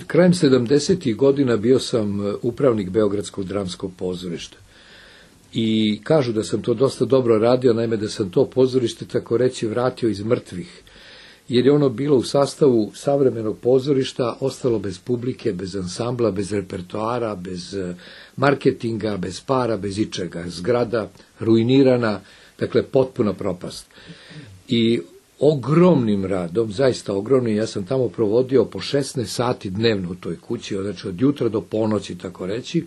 krajem 70. godina bio sam upravnik Beogradskog dramskog pozorišta. I kažu da sam to dosta dobro radio, naime da sam to pozorište, tako reći, vratio iz mrtvih. Jer je ono bilo u sastavu savremenog pozorišta, ostalo bez publike, bez ansambla, bez repertoara, bez marketinga, bez para, bez ičega. Zgrada ruinirana, dakle potpuna propast. I ogromnim radom, zaista ogromnim, ja sam tamo provodio po 16 sati dnevno u toj kući, znači od jutra do ponoći, tako reći.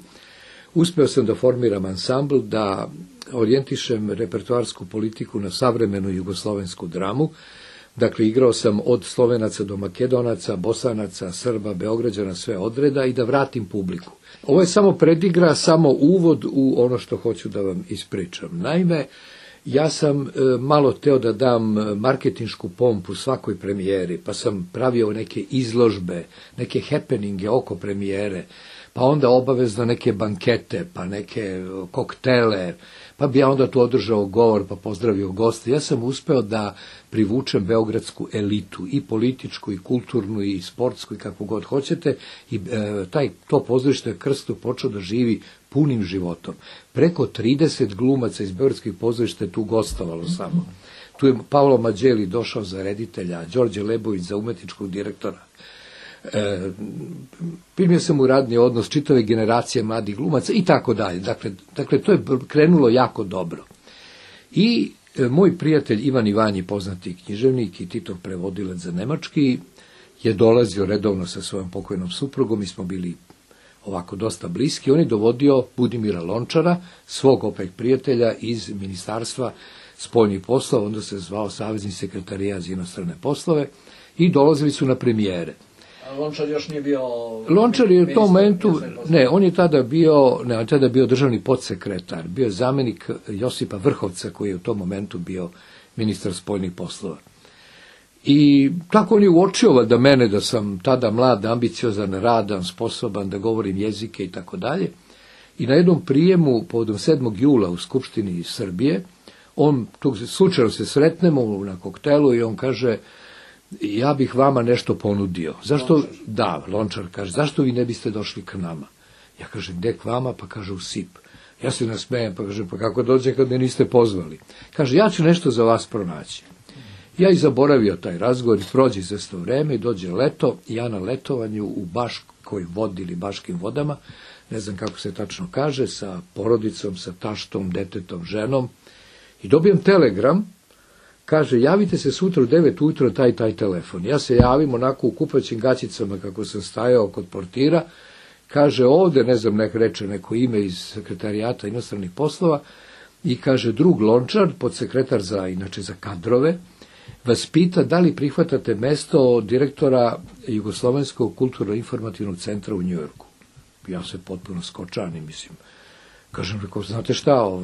Uspeo sam da formiram ansambl, da orijentišem repertoarsku politiku na savremenu jugoslovensku dramu. Dakle, igrao sam od Slovenaca do Makedonaca, Bosanaca, Srba, Beograđana, sve odreda i da vratim publiku. Ovo je samo predigra, samo uvod u ono što hoću da vam ispričam. Naime, ja sam malo teo da dam marketinšku pompu svakoj premijeri, pa sam pravio neke izložbe, neke happeninge oko premijere, pa onda obavezno neke bankete, pa neke koktele, pa bi ja onda tu održao govor, pa pozdravio goste. Ja sam uspeo da privučem beogradsku elitu, i političku, i kulturnu, i sportsku, i kako god hoćete, i to pozorište je Krsto počeo da živi punim životom. Preko 30 glumaca iz beogradskih pozorišta je tu gostovalo samo. Tu je Paolo Mađeli došao za reditelja, Đorđe Lebović za umetničkog direktora. Primio sam u radni odnos čitave generacije mladih glumaca i tako dalje. Dakle, to je krenulo jako dobro. I moj prijatelj Ivan Ivanji, poznati književnik i Titov prevodilac za nemački, je dolazio redovno sa svojom pokojnom suprugom, mi smo bili ovako dosta bliski. On je dovodio Budimira Lončara, svog opet prijatelja iz Ministarstva spoljnih poslova, onda se zvao Savezni sekretarijat za inostrane poslove, i dolazili su na premijere. Lončar još nije bio... Lončar je u tom momentu, on je tada bio državni podsekretar, bio je zamjenik Josipa Vrhovca, koji je u tom momentu bio ministar spoljnih poslova. I tako on je uočio da mene, da sam tada mlad, ambiciozan, radan, sposoban, da govorim jezike i tako dalje. I na jednom prijemu, povodom 7. jula u Skupštini Srbije, slučajno se sretnemo na koktelu i on kaže: ja bih vama nešto ponudio. Zašto? Lončar. Da, Lončar kaže, zašto vi ne biste došli k nama? Ja kažem, gde k vama? Pa kaže, u SIP. Ja se nasmejem, pa kažem, pa kako dođe kad me niste pozvali? Kaže, ja ću nešto za vas pronaći. Ja i zaboravio taj razgovor, prođe izvesno vreme i dođe leto, ja na letovanju u Baškoj vodi ili Baškim vodama, ne znam kako se tačno kaže, sa porodicom, sa taštom, detetom, ženom, i dobijem telegram. Kaže, javite se sutra u 9 ujutro na taj telefon. Ja se javim onako u kupaćim gaćicama kako sam stajao kod portira. Kaže, ovde, ne znam, reče neko ime iz sekretarijata inostranih poslova, i kaže, drug Lončar, podsekretar inače za kadrove, vas pita da li prihvatate mesto direktora Jugoslovenskog kulturno-informativnog centra u Njujorku. Ja se potpuno skočanim, mislim. Kažem, znate šta,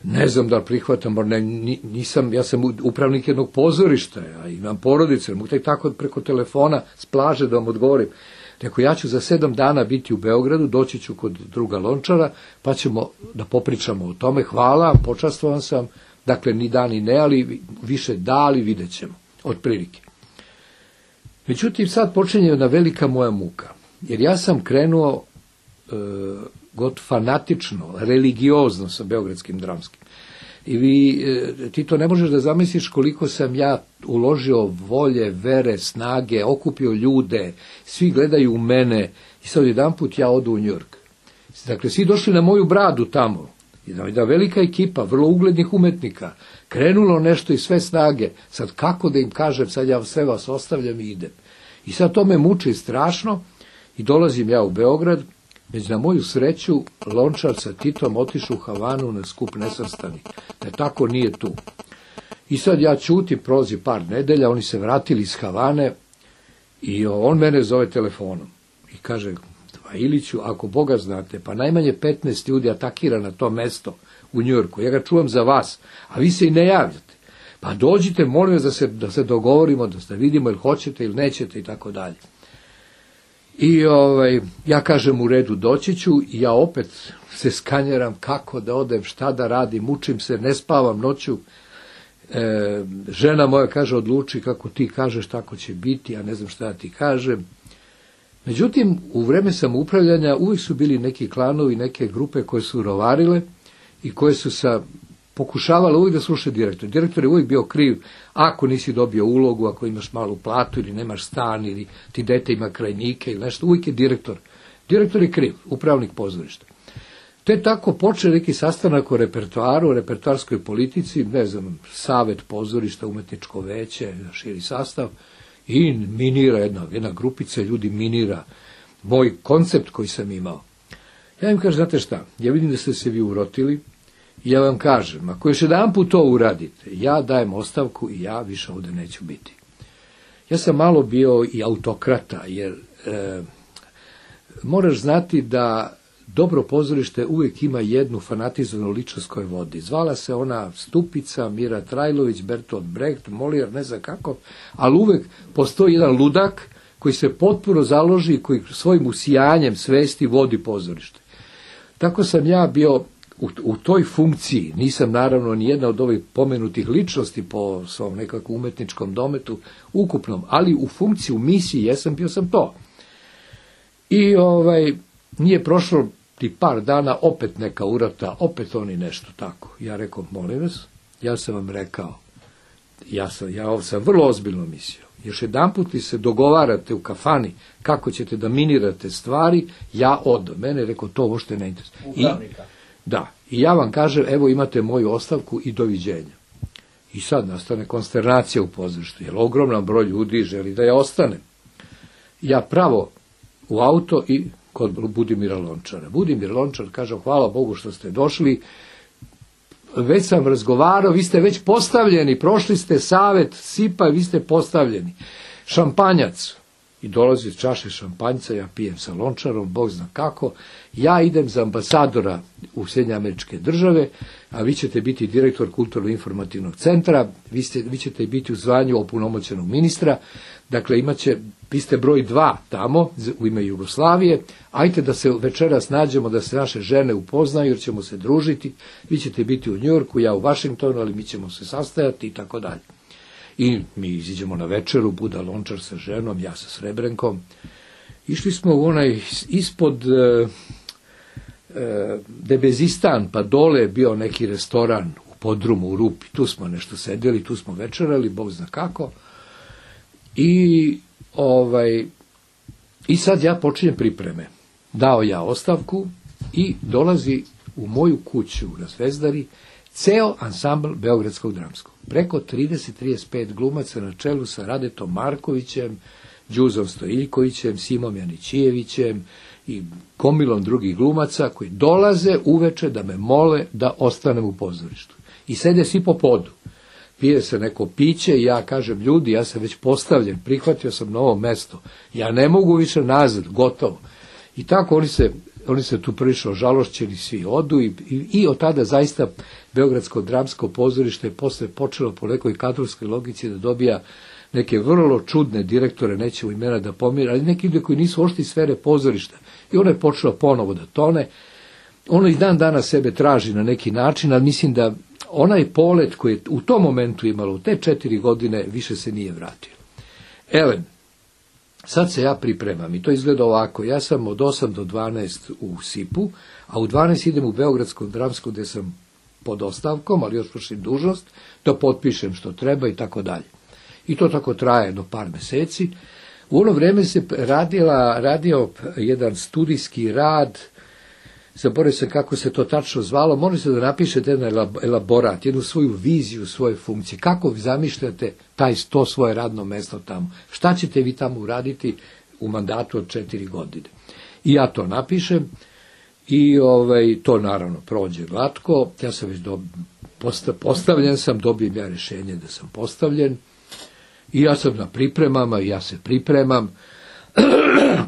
ne znam da prihvatam, ja sam upravnik jednog pozorišta, ja imam porodice, mogu tek tako preko telefona s plaže da vam odgovorim. Rekao, ja ću za 7 dana biti u Beogradu, doći ću kod druga Lončara, pa ćemo da popričamo o tome. Hvala, počastvovan sam, dakle ni da ni ne, ali više da, ali vidjet ćemo, otprilike. Međutim, sad počinje jedna velika moja muka, jer ja sam krenuo fanatično, religiozno sa beogradskim dramskim. I ti to ne možeš da zamisliš koliko sam ja uložio volje, vere, snage, okupio ljude, svi gledaju u mene, i sad jedanput ja odu u Njujork. Dakle, svi došli na moju bradu tamo, jedna velika ekipa, vrlo uglednih umetnika, krenulo nešto i sve snage, sad kako da im kažem, sad ja sve vas ostavljam i idem. I sad to me muči strašno, i dolazim ja u Beograd. Već na moju sreću, Lončar sa Titom otišu u Havanu na skup nesvrstanih, da tako nije tu. I sad ja ćutim, prolazi par nedelja, oni se vratili iz Havane i on mene zove telefonom i kaže, Iliću, ako Boga znate, pa najmanje 15 ljudi atakira na to mesto u Njujorku, ja ga čuvam za vas, a vi se i ne javljate. Pa dođite, molim vas da se dogovorimo, da vidimo ili hoćete ili nećete i tako dalje. I ja kažem, u redu, doći ću, i ja opet se skanjeram kako da odem, šta da radim, mučim se, ne spavam noću. Žena moja kaže, odluči kako ti kažeš, tako će biti, ja ne znam šta da ti kažem. Međutim, u vreme samoupravljanja uvijek su bili neki klanovi, neke grupe koje su rovarile i koje su pokušavale uvijek da slušaju direktor. Direktor je uvijek bio kriv ako nisi dobio ulogu, ako imaš malu platu ili nemaš stan ili ti dete ima krajnike ili nešto, uvijek je direktor. Direktor je kriv, upravnik pozorišta. Te tako počne neki sastanak o repertoaru, o repertoarskoj politici, ne znam, savet pozorišta, umetničko veće, širi sastav, i minira jedna grupica ljudi minira moj koncept koji sam imao. Ja im kažem, znate šta, ja vidim da ste se vi urotili, i ja vam kažem, ako još jedanput to uradite, ja dajem ostavku i ja više ovdje neću biti. Ja sam malo bio i autokrata, jer moraš znati da dobro pozorište uvijek ima jednu fanatizovanu ličnost koja vodi. Zvala se ona Stupica, Mira Trajlović, Bertolt Brecht, Molière, ne znam kako, ali uvijek postoji jedan ludak koji se potpuno založi i koji svojim usijanjem svesti vodi pozorište. Tako sam ja bio u toj funkciji, nisam naravno ni jedna od ovih pomenutih ličnosti po svom nekakvom umetničkom dometu ukupnom, ali u funkciji, u misiji, bio sam to. I nije prošlo ti par dana, opet neka urota, opet oni nešto tako. Ja rekao, molim vas, ja sam vam rekao, ja sam vrlo ozbiljno mislio. Još jedanput li se dogovarate u kafani kako ćete da minirate stvari, ja odem. Mene je rekao, to uopšte ne interesuje. I ja vam kažem, evo imate moju ostavku i doviđenja. I sad nastane konsternacija u pozorištu, jer ogroman broj ljudi želi da ja ostanem. Ja pravo u auto i kod Budimira Lončara. Budimir Lončar kaže, hvala Bogu što ste došli, već sam razgovarao, vi ste već postavljeni, prošli ste savet SIP-a, vi ste postavljeni. Šampanjac. I dolazi čaše šampanjca, ja pijem sa Lončarom, Bog zna kako, ja idem za ambasadora u Sjedinjene Američke Države, a vi ćete biti direktor Kulturno-informativnog centra, vi ćete biti u zvanju opunomoćenog ministra, dakle vi ste broj 2 tamo u ime Jugoslavije, ajte da se večeras nađemo, da se naše žene upoznaju jer ćemo se družiti, vi ćete biti u Njujorku, ja u Vašingtonu, ali mi ćemo se sastajati i tako dalje. I mi iziđemo na večeru, Buda Lončar sa ženom, ja sa Srebrenkom. Išli smo u onaj ispod Debezistan, pa dole je bio neki restoran u podrumu, u Rupi. Tu smo nešto sedeli, tu smo večerali, Bog zna kako. I sad ja počinjem pripreme. Dao ja ostavku i dolazi u moju kuću na Zvezdari ceo ansambl Beogradskog dramskog. Preko 30-35 glumaca na čelu sa Radetom Markovićem, Đuzom Stojiljkovićem, Simom Janićijevićem i gomilom drugih glumaca koji dolaze uveče da me mole da ostanem u pozorištu. I sede svi po podu. Pije se neko piće i ja kažem, ljudi, ja sam već postavljen, prihvatio sam novo mesto, ja ne mogu više nazad, gotovo. I tako oni se tu prilično žalošćeni, svi odu i od tada zaista Beogradsko dramsko pozorište je posle počelo po nekoj kadrovskoj logici da dobija neke vrlo čudne direktore, nećemo imena da pomira, ali neki ljudi koji nisu ošli sfere pozorišta. I ono je počelo ponovo da tone. Ono i dan danas sebe traži na neki način, ali mislim da onaj polet koji je u tom momentu imalo, u te 4 godine, više se nije vratio. Elem, sad se ja pripremam i to izgleda ovako. Ja sam od 8 do 12 u SIP-u, a u 12 idem u Beogradsko dramsko gde sam pod ostavkom, ali još vršim dužnost, da potpišem što treba i tako dalje. I to tako traje do par meseci. U ono vreme se radio jedan studijski rad, zaboravio sam kako se to tačno zvalo, možete da napišete jedan elaborat, jednu svoju viziju, svoje funkcije, kako vi zamišljate to svoje radno mesto tamo, šta ćete vi tamo uraditi u mandatu od 4 godine. I ja to napišem i to naravno prođe glatko, ja sam već postavljen sam, dobijem ja rješenje da sam postavljen i ja sam na pripremama i ja se pripremam,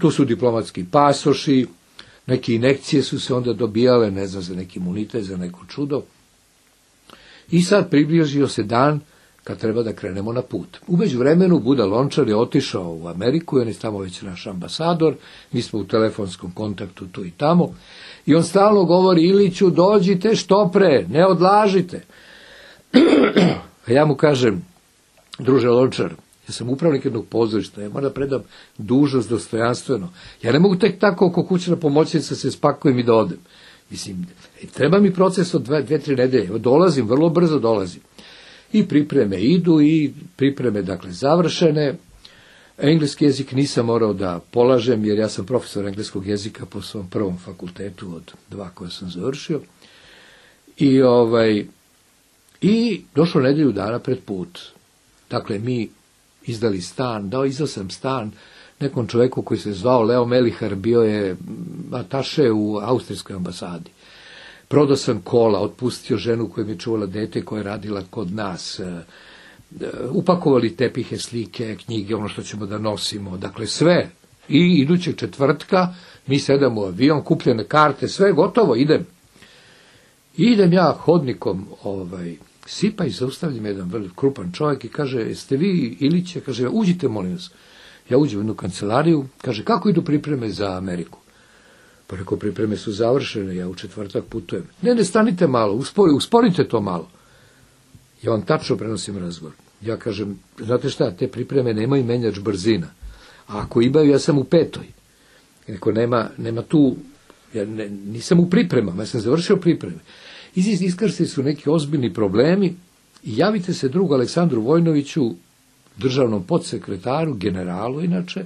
tu su diplomatski pasoši, neke injekcije su se onda dobijale, ne znam, za neki imunitet, za neko čudo. I sad približio se dan kad treba da krenemo na put. U međuvremenu Buda Lončar je otišao u Ameriku, on je tamo već naš ambasador, mi smo u telefonskom kontaktu tu i tamo, i on stalno govori, Iliću, dođite što pre, ne odlažite. A ja mu kažem, druže Lončar, Ja sam upravnik jednog pozorišta, ja moram da predam dužnost dostojanstveno. Ja ne mogu tek tako oko kućna pomoćnica se spakujem i da odem. Mislim, treba mi proces od 2-3 nedelje. Dolazim, vrlo brzo dolazim. I pripreme idu, i pripreme, dakle, završene. Engleski jezik nisam morao da polažem, jer ja sam profesor engleskog jezika po svom prvom fakultetu od 2 koje sam završio. I došlo nedelju dana pred put. Dakle, mi izdali stan, izdao sam stan nekom čoveku koji se zvao Leo Melihar, bio je ataše u austrijskoj ambasadi. Prodao sam kola, otpustio ženu koja mi je čuvala dete, koja je radila kod nas, upakovali tepihe, slike, knjige, ono što ćemo da nosimo, dakle sve. I idućeg četvrtka mi sedamo u avion, kupljene karte, sve gotovo, idem. I idem ja hodnikom, sipa i zaustavljam jedan vrlo krupan čovjek i kaže, jeste vi Iliće? Kaže, uđite, molim vas. Ja uđem u jednu kancelariju, kaže, kako idu pripreme za Ameriku? Pa rekao, pripreme su završene, ja u četvrtak putujem. Ne, stanite malo, usporite to malo. Ja vam tačno prenosim razgovor. Ja kažem, znate šta, te pripreme nemaju menjač brzina. A ako imaju, ja sam u 5. Neko nema tu, ja nisam u pripremama, ja sam završio pripreme. Iskrstili su neki ozbiljni problemi i javite se drugu Aleksandru Vojnoviću, državnom podsekretaru, generalu inače,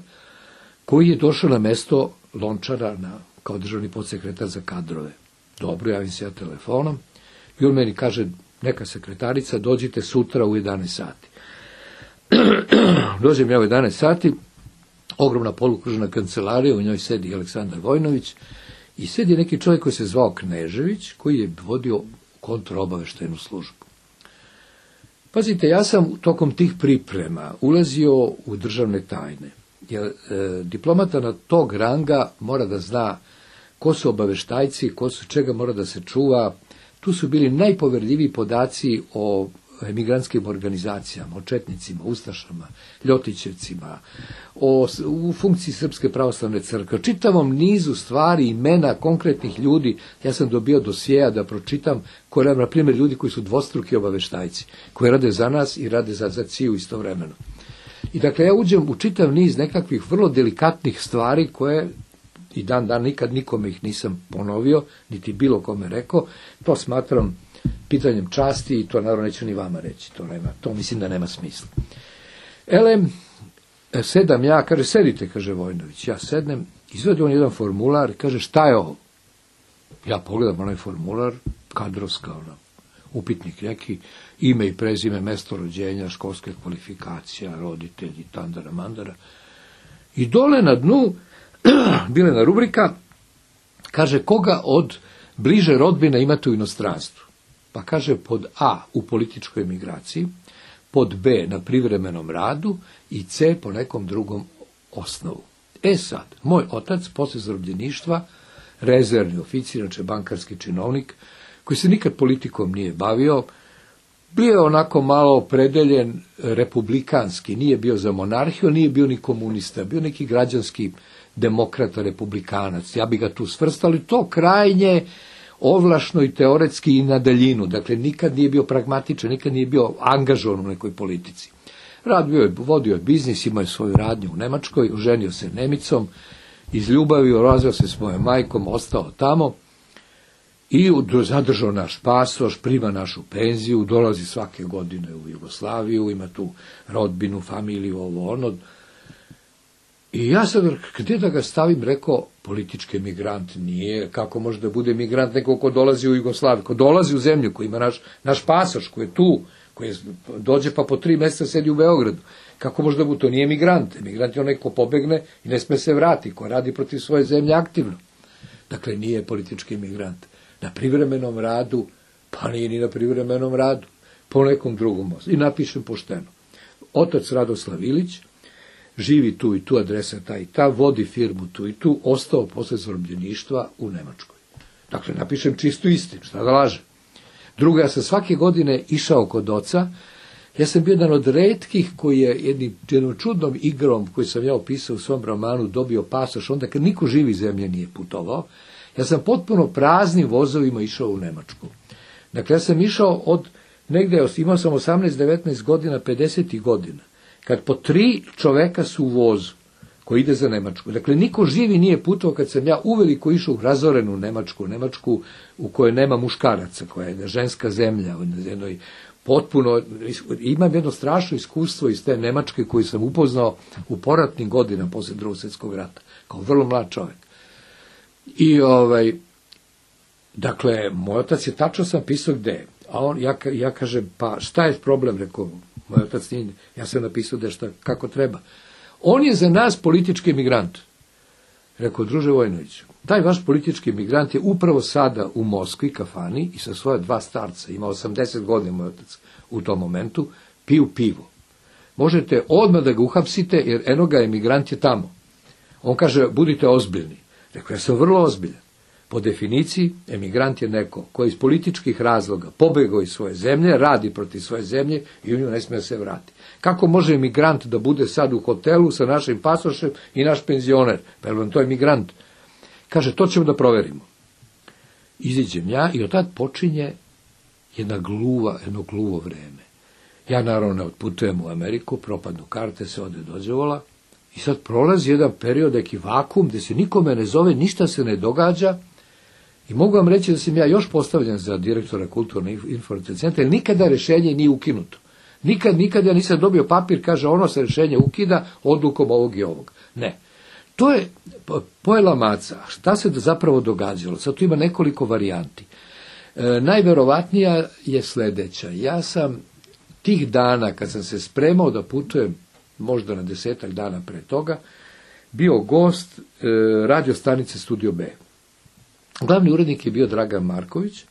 koji je došao na mesto Lončara kao državni podsekretar za kadrove. Dobro, javim se ja telefonom i on meni kaže, neka sekretarica, dođite sutra u 11 sati. Dođem ja u 11 sati, ogromna polukružna kancelarija, u njoj sedi Aleksandar Vojnović i sedi neki čovjek koji se zvao Knežević, koji je vodio kontraobaveštajnu službu. Pazite, ja sam tokom tih priprema ulazio u državne tajne, jer diplomata na tog ranga mora da zna ko su obaveštajci, čega mora da se čuva. Tu su bili najpoverljiviji podaci o emigrantskim organizacijama, o četnicima, ustašama, ljotićevcima, u funkciji Srpske pravoslavne crkve, čitavom nizu stvari, imena konkretnih ljudi. Ja sam dobio dosjeja da pročitam, na primjer, ljudi koji su dvostruki obaveštajci, koji rade za nas i rade za CIA istovremeno. I dakle, ja uđem u čitav niz nekakvih vrlo delikatnih stvari koje i dan nikad nikome ih nisam ponovio, niti bilo kome rekao. To smatram pitanjem časti i to naravno neću ni vama reći. To mislim da nema smisla. Sedam ja, kaže, sedite, kaže Vojnović. Ja sednem, izvadi on jedan formular, kaže, šta je ovo? Ja pogledam onaj formular, kadrovska, upitnik neki, ime i prezime, mesto rođenja, školske kvalifikacija, roditelji, tandara, mandara. I dole na dnu bila je rubrika, kaže, koga od bliže rodbine imate u inostranstvu? Pa kaže, pod A u političkoj emigraciji, pod B na privremenom radu i C po nekom drugom osnovu. Sad, moj otac, posle zarobljeništva, rezervni oficir, znači bankarski činovnik, koji se nikad politikom nije bavio, bio je onako malo opredeljen republikanski, nije bio za monarhiju, nije bio ni komunista, bio neki građanski demokrata, republikanac. Ja bi ga tu svrstao, ali to krajnje ovlašno i teoretski i na daljinu. Dakle, nikad nije bio pragmatičan, nikad nije bio angažovan u nekoj politici. Vodio je biznis, imao je svoju radnju u Nemačkoj, oženio se Nemicom, izljubavio, razveo se s mojom majkom, ostao tamo i zadržao naš pasoš, prima našu penziju, dolazi svake godine u Jugoslaviju, ima tu rodbinu, familiju, ovo ono. I ja sad, gdje da ga stavim, rekao, politički emigrant nije, kako može da bude emigrant neko ko dolazi u Jugoslaviju, ko dolazi u zemlju, koji ima naš pasoš, koji je tu, koji dođe pa po 3 mjeseca sedi u Beogradu. Kako može da bude, to nije emigrant. Emigrant je onaj ko pobegne i ne sme se vrati, ko radi protiv svoje zemlje aktivno. Dakle, nije politički emigrant. Na privremenom radu, pa nije ni na privremenom radu, po nekom drugom osnovu. I napišem pošteno. Otac Radoslav Ilić, živi tu i tu, adresa ta i ta, vodi firmu tu i tu, ostao posle zarobljeništva u Nemačkoj. Dakle, napišem čistu istinu, šta da lažem. Drugo, ja sam svake godine išao kod oca, ja sam bio jedan od retkih koji je jednom čudnom igrom, koju sam ja opisao u svom romanu, dobio pasoš, onda kad niko živi zemlje nije putovao, ja sam potpuno praznim vozovima išao u Nemačku. Dakle, ja sam išao od negde, imao sam 18-19 godina, 50. godina. kad po 3 čoveka su u vozu koji ide za Nemačku. Dakle, niko živi nije putovao kad sam ja uveliko išao u razorenu Nemačku u kojoj nema muškaraca, koja je ženska zemlja, jednoj potpuno, imam jedno strašno iskustvo iz te Nemačke koju sam upoznao u poratnim godinama posle Drugog svjetskog rata, kao vrlo mlad čovjek. I dakle, moj otac je tačno sam pisao gde je. A on, ja kažem, pa šta je problem, rekao, moj otac nije, ja sam napisao da šta, kako treba. On je za nas politički emigrant. Rekao, druže Vojinoviću, taj vaš politički emigrant je upravo sada u Moskvi, kafani, i sa svoje 2 starca, ima 80 godina moj otac u tom momentu, piju pivo. Možete odmah da ga uhapsite, jer eno ga emigrant je tamo. On kaže, budite ozbiljni. Rekao, ja sam vrlo ozbiljan. Po definiciji, emigrant je neko koji iz političkih razloga pobegao iz svoje zemlje, radi protiv svoje zemlje i u nju ne smije se vrati. Kako može emigrant da bude sad u hotelu sa našim pasošem i naš penzioner? Pa je vam to emigrant? Kaže, to ćemo da proverimo. Iziđem ja i od tad počinje jedno gluvo vreme. Ja naravno ne otputujem u Ameriku, propadnu karte, se ode dođevola i sad prolazi jedan period, neki vakum, gde se nikome ne zove, ništa se ne događa i mogu vam reći da sam ja još postavljen za direktora Kulturno-informativnog centra, jer nikada rešenje nije ukinuto. Nikad ja nisam dobio papir, kaže ono se rešenje ukida odlukom ovog i ovog. Ne. To je pojela maca. Šta se zapravo događalo? Sad tu ima nekoliko varijanti. Najverovatnija je sledeća. Ja sam tih dana, kad sam se spremao da putujem, možda na 10 dana pre toga, bio gost radio stanice Studio B. Glavni urednik je bio Dragan Marković,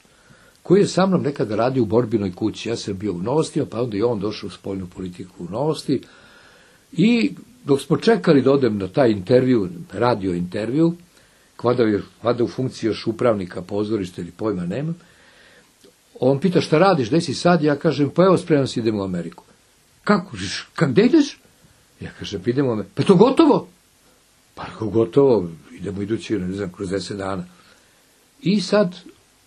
koji je sa mnom nekada radio u Borbinoj kući. Ja sam bio u Novostima, pa onda i on došao u spoljnu politiku u Novosti. I dok smo čekali da odem na taj intervju, radio intervju, vada u funkciji još upravnika pozorišta ili pojma nemam, on pita šta radiš, gde si sad? Ja kažem, pa evo spremam se, idemo u Ameriku. Kako? Gde ideš? Ja kažem, idemo u Ameriku. Pa je to gotovo? Pa gotovo, idemo idući, ne znam, kroz 10 dana. I sad,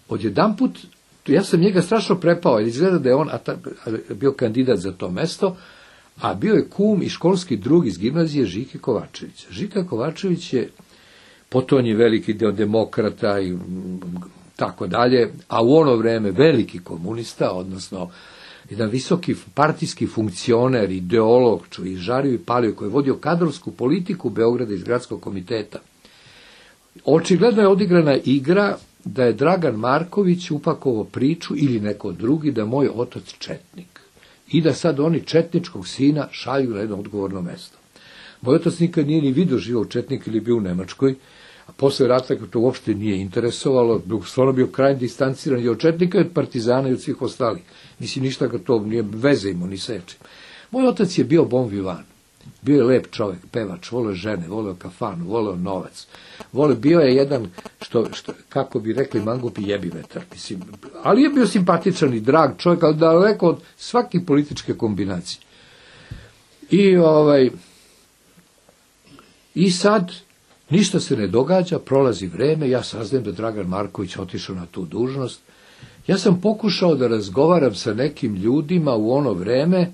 odjedanput, ja sam njega strašno prepao, jer izgleda da je on bio kandidat za to mesto, a bio je kum i školski drug iz gimnazije Žike Kovačevića. Žika Kovačević je potonji veliki deo demokrata i tako dalje, a u ono vreme veliki komunista, odnosno jedan visoki partijski funkcioner, ideolog, i žario i palio, koji je vodio kadrovsku politiku Beograda iz gradskog komiteta. Očigledno je odigrana igra da je Dragan Marković upakovao priču ili neko drugi da moj otac četnik i da sad oni četničkog sina šalju na jedno odgovorno mesto. Moj otac nikad nije ni vidio živao četnik ili bio u Nemačkoj, a posle rata to uopšte nije interesovalo, stvarno bio krajnje distanciran i od četnika, i od partizana i od svih ostalih. Mislim, ništa ga to nije veze imao ni sečim. Moj otac je bio bon vivant. Bio je lep čovjek, pevač, voleo žene, voleo kafanu, voleo novac. Bio je jedan, kako bi rekli mangupi, jebi vetar. Mislim, ali je bio simpatičan i drag čovjek, ali daleko od svake političke kombinacije. I sad, ništa se ne događa, prolazi vreme, ja saznajem da Dragan Marković otišao na tu dužnost. Ja sam pokušao da razgovaram sa nekim ljudima u ono vreme,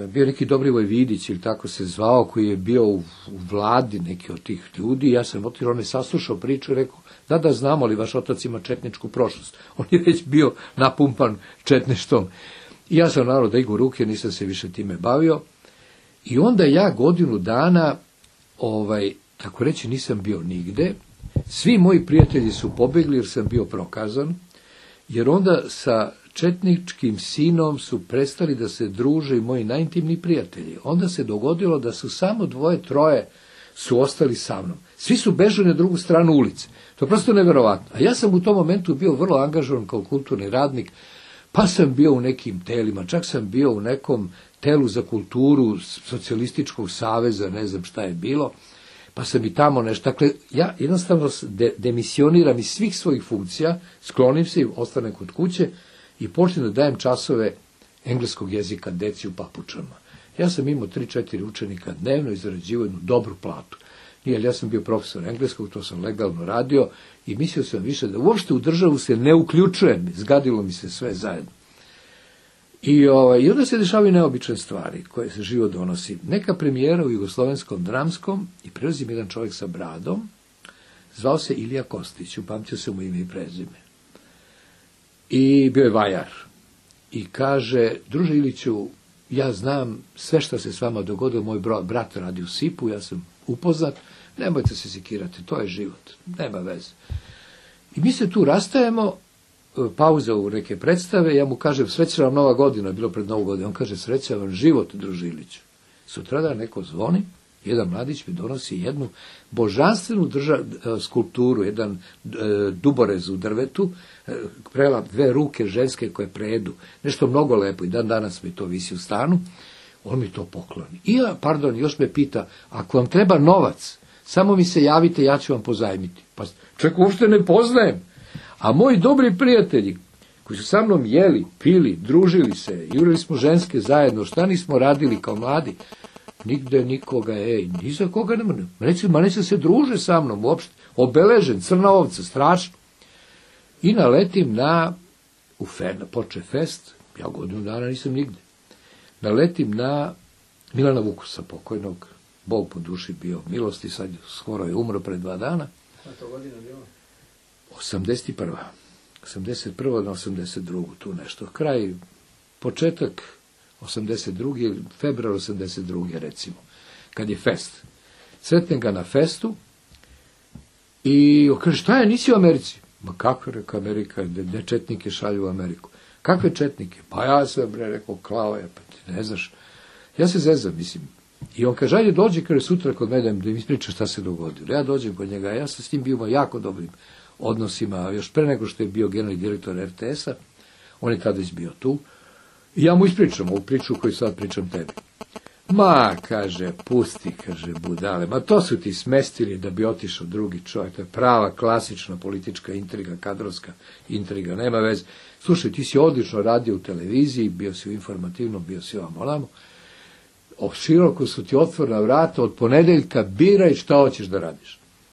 bio neki Dobrivoj Vidić ili tako se zvao, koji je bio u vladi neki od tih ljudi. Ja sam otišao, on je saslušao priču i rekao, da znamo, ali vaš otac ima četničku prošlost. On je već bio napumpan četništvom. I ja sam naravno da igu ruke, nisam se više time bavio. I onda ja godinu dana, tako reći, nisam bio nigde. Svi moji prijatelji su pobegli jer sam bio prokazan, jer onda sa četničkim sinom su prestali da se druže i moji najintimniji prijatelji. Onda se dogodilo da su samo 2-3 su ostali sa mnom. Svi su bežali na drugu stranu ulice. To je prosto neverovatno. A ja sam u tom momentu bio vrlo angažovan kao kulturni radnik, pa sam bio u nekim telima, čak sam bio u nekom telu za kulturu Socijalističkog saveza, ne znam šta je bilo, pa sam i tamo nešto. Dakle, ja jednostavno demisioniram iz svih svojih funkcija, sklonim se i ostanem kod kuće i počnem da dajem časove engleskog jezika deci u Papučama. Ja sam imao 3-4 učenika dnevno i zarađivao jednu dobru platu. Nije, ja sam bio profesor engleskog, to sam legalno radio i mislio sam više da uopšte u državu se ne uključujem, zgadilo mi se sve zajedno. I onda se dešavaju neobične stvari koje se život donosi. Neka premijera u Jugoslovenskom dramskom i prelazim jedan čovjek sa bradom, zvao se Ilija Kostić, upamtio se mu ime i prezime. I bio je vajar. I kaže, druže Iliću, ja znam sve što se s vama dogodilo, moj brat radi u SIP-u, ja sam upoznat, nemojte se sekirati, to je život, nema veze. I mi se tu rastajemo, pauza u neke predstave, ja mu kažem, sreća vam Nova godina, bilo pred Novu godinu, on kaže, sreća vam život, druže Iliću. Sutradan neko zvoni, jedan mladić mi donosi jednu božanstvenu skulpturu, jedan duborez u drvetu, prela dve ruke ženske koje prejedu, nešto mnogo lepo i dan danas mi to visi u stanu, on mi to pokloni. I još me pita, ako vam treba novac, samo mi se javite, ja ću vam pozajmiti. Pa čak uopšte ne poznajem. A moji dobri prijatelji, koji su sa mnom jeli, pili, družili se, jurili smo ženske zajedno, šta nismo radili kao mladi, nigde nikoga, ni za koga nema. Neće se druže sa mnom uopšte. Obeležen, crna ovca, strašno. I naletim poče fest, ja godinu dana nisam nigde. Naletim na Milana Vukusa, pokojnog, Bog po duši bio milosti, sad skoro je umro pred 2 dana. A to godina bilo? 81. 81. na 82. tu nešto. Kraj, početak 82. februar 82. recimo, kad je fest. Sretnem ga na festu i kaže, šta je, nisi u Americi? Ma kako, reka, Amerika, gde četnike šalju u Ameriku? Kakve četnike? Pa ja sam, rekao, klao je, pa ti ne znaš. Ja se zezam, mislim. I on kaže, ajde dođi, kaže, sutra kod mene da mi ispriča šta se dogodilo. Ja dođem kod njega, ja sam s njim bio jako dobrim odnosima, još pre nego što je bio generalni direktor RTS-a, on je tada bio tu, i ja mu ispričam ovu priču koju sad pričam tebi. Ma, kaže, pusti, kaže, budale, ma to su ti smestili da bi otišao drugi čovjek, to je prava, klasična politička intriga, kadrovska intriga, nema veze. Slušaj, ti si odlično radio u televiziji, bio si u informativnom, bio si ovamo, široko su ti otvorena vrata, od ponedeljka biraj šta hoćeš da radiš.